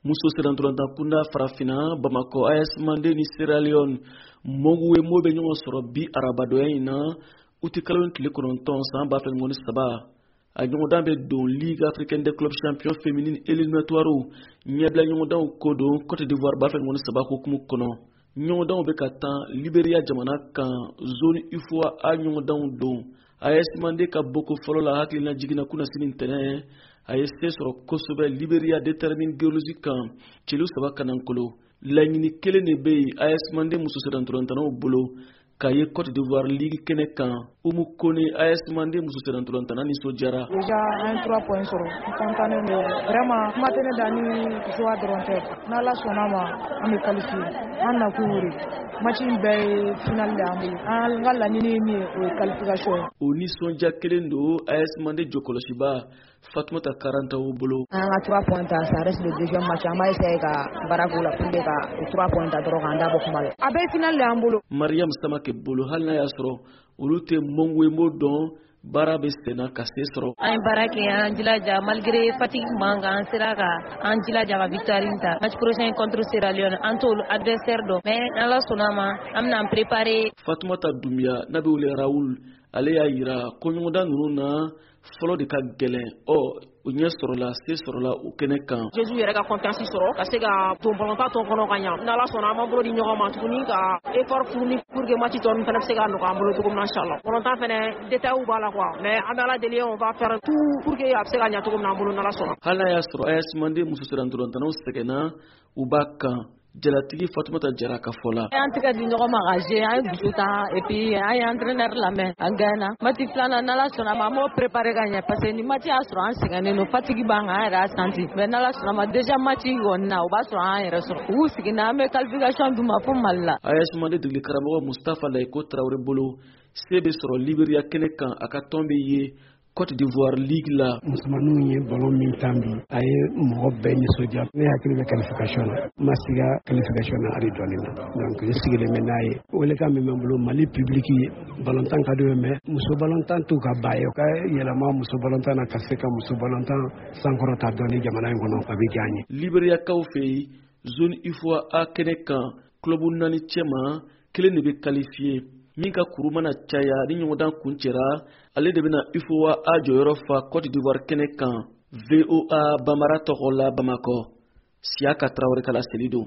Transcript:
Muso sennantolatan kunda Farafinna, Bamakɔ, AS Mande ni Sierra Leone Moguwemo bɛ ɲɔgɔn sɔrɔ bi arabadɔya in na, utikalo tile 9 san 2023. A ɲɔgɔndan bɛ don Ligue africaine des clubs champions féminine éliminatoire ɲɛbila ɲɔgɔndanw ko don Côte d'Ivoire 2023 hukumu kɔnɔ. Ɲɔgɔndanw bɛ ka tan Liberia jamana kan, zone UFOA A ɲɔgɔndanw don. AS Mande ka boko fɔlɔ la, hakilina jiginna kunasini ntɛnɛn, a ye se sɔrɔ kosɛbɛ Liberia Determine Girls kan celu 3 ka nankolo. Laɲini kelen de bɛ yen AS Mande muso sennantolatannaw bolo, k'a ye Côte d'Ivoire ligue kɛnɛ kan. Umu Kone, AS Mande muso sennantolatanna, nisɔndiyara. Déjà an ye 3 points sɔrɔ, n content don vraiment. Kuma tɛ ne da ni joie dɔrɔn tɛ. N'Ala sɔnna ma, an bɛ qualifier. An nakun y'o de, match in bɛɛ ye final de y'an bolo. An ka laɲini ye min ye, o ye qualification ye. O nisɔndiya kelen don AS Mande jɔkɔlɔsiba Fatumata Karantaw bolo. An ka 3 points ta, ça reste le deuxième match. An b'a essayer ka baara k'o la pour que ka o 3 points ta dɔrɔn, k'an da bɔ kuma la. A bɛɛ ye final de y'an bolo. Mariam Samake bolo, hali n'a y'a sɔrɔ olu tɛ Mongwemo dɔn, baara bɛ senna ka se sɔrɔ. An ye baara kɛ, an jilaja. Malgré fatigue b'an kan, an sera ka an jilaja ka victoire ta. Match prochain contre Sierra Leone, an t'olu adversaire dɔn, mais Ala sɔnna ma, an bɛna an préparer. Fatumata Dumbuya n'a bɛ wele Raoul, ale y'a yira ko ɲɔgɔndan ninnu na, fɔlɔ de ka gɛlɛn. Ɔ o ɲɛ sɔrɔla, se sɔrɔla o kɛnɛ kan. Jésus yɛrɛ ka confiance sɔrɔ ka se ka don balontan tɔ kɔnɔ ka ɲa. N'Ala sɔnna, an b'an bolo di ɲɔgɔn ma tuguni ka effort fourni pour que match tɔ ninnu fana bɛ se ka nɔgɔya an bolo cogo min na, inchallah. Balontan fɛnɛ, détails b'a la quoi, mais an bɛ Ala deli, on va faire tout pour que a bɛ se ka ɲa cogo min na an bolo, n'Ala sɔnna. Hali n'a y'a sɔrɔ AS Mande muso sennantolatannaw sɛgɛnna, u b'a kan. Jalatigi Fatumata Jara ka fɔ la. An tɛgɛ di ɲɔgɔn ma ka jouer, an ye dusu ta et puis an ye entraîneur lamɛn, an gagné. Match filanan, n'Ala sɔnna ma, an b'o préparer ka ɲɛ, parce que ni match y'a sɔrɔ an sɛgɛnnen don, fatigue b'an kan, an yɛrɛ y'a senti. Mais n'Ala sɔnna ma, deuxième match kɔni na, o b'a sɔrɔ an yɛrɛ sɔrɔ u k'u sigi na, an bɛ qualification d'u ma fo Mali la. AS Mande degeli karamɔgɔ Mustafa Layiko Tarawele bolo, se bɛ sɔrɔ Liberia kɛnɛ kan, a ka tɔn bɛ ye Côte d'Ivoire ligue la. Musomaninw ye ballon min tan bi, a ye mɔgɔ bɛɛ nisɔndiya. Ne hakili bɛ qualification na, n ma siga qualification na hali dɔɔni na. Donc n sigilen bɛ n'a ye. Welekan min bɛ n bolo, Mali public, ballontan ka d'u ye, mais muso ballontan t'u ka ba ye. U ka yɛlɛma muso ballontan na ka se ka muso ballontan sankɔrɔta dɔɔni jamana in kɔnɔ, a bɛ diya n ye. Liberiyakaw fɛ yen, zone UFOA A kɛnɛ kan, club naani cɛma, kelen de bɛ qualifié. Min ka kuru mana caya ni ɲɔgɔndan kuncɛra, ale de bɛna UFOA A jɔyɔrɔ fa Côte d'Ivoire kɛnɛ kan. VOA Bamara tɔgɔ la, Bamakɔ, Siyaka Tarawele ka laseli don.